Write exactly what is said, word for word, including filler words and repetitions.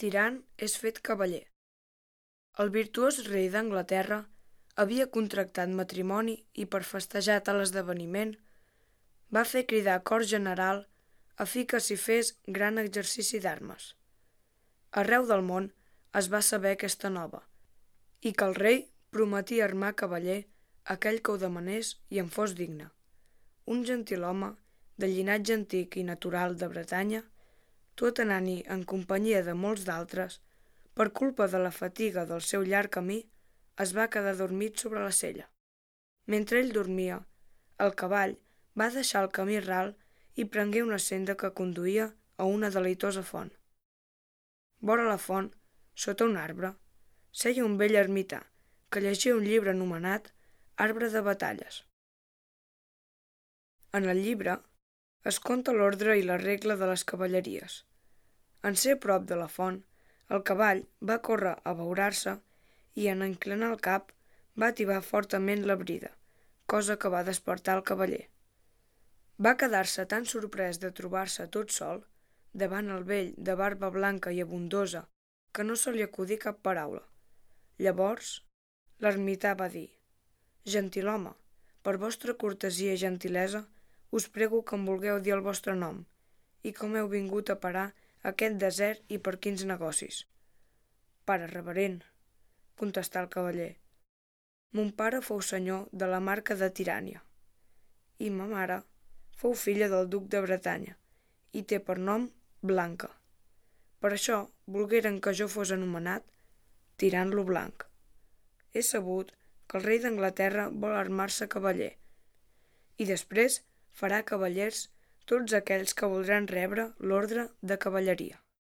Tirant és fet cavaller. El virtuós rei d'Anglaterra havia contractat matrimoni i per festejar tal esdeveniment va fer cridar cor general a fi que s'hi fes gran exercici d'armes. Arreu del món es va saber aquesta nova i que el rei prometia armar cavaller aquell que ho demanés i en fos digne. Un gentilhome de llinatge antic i natural de Bretanya, tot anant-hi en companyia de molts d'altres, per culpa de la fatiga del seu llarg camí, es va quedar dormit sobre la sella. Mentre ell dormia, el cavall va deixar el camí ral i prengué una senda que conduïa a una deleitosa font. Vora la font, sota un arbre, seia un vell ermità que llegia un llibre anomenat Arbre de batalles. En el llibre es conta l'ordre i la regla de les cavalleries. En ser prop de la font, el cavall va córrer a abeurar-se i en inclinar el cap va atibar fortament la brida, cosa que va despertar el cavaller. Va quedar-se tan sorprès de trobar-se tot sol, davant el vell de barba blanca i abundosa, que no se li acudí cap paraula. Llavors, l'ermità va dir: «Gentilhome, per vostra cortesia i gentilesa, us prego que em vulgueu dir el vostre nom i com heu vingut a parar a aquest desert i per quins negocis». «Pare reverent», contestà el cavaller, «mon pare fou senyor de la marca de Tirània i ma mare fou filla del duc de Bretanya i té per nom Blanca. Per això volgueren que jo fos anomenat Tirant lo Blanc. He sabut que el rei d'Anglaterra vol armar-se cavaller i després farà cavallers tots aquells que voldran rebre l'ordre de cavalleria».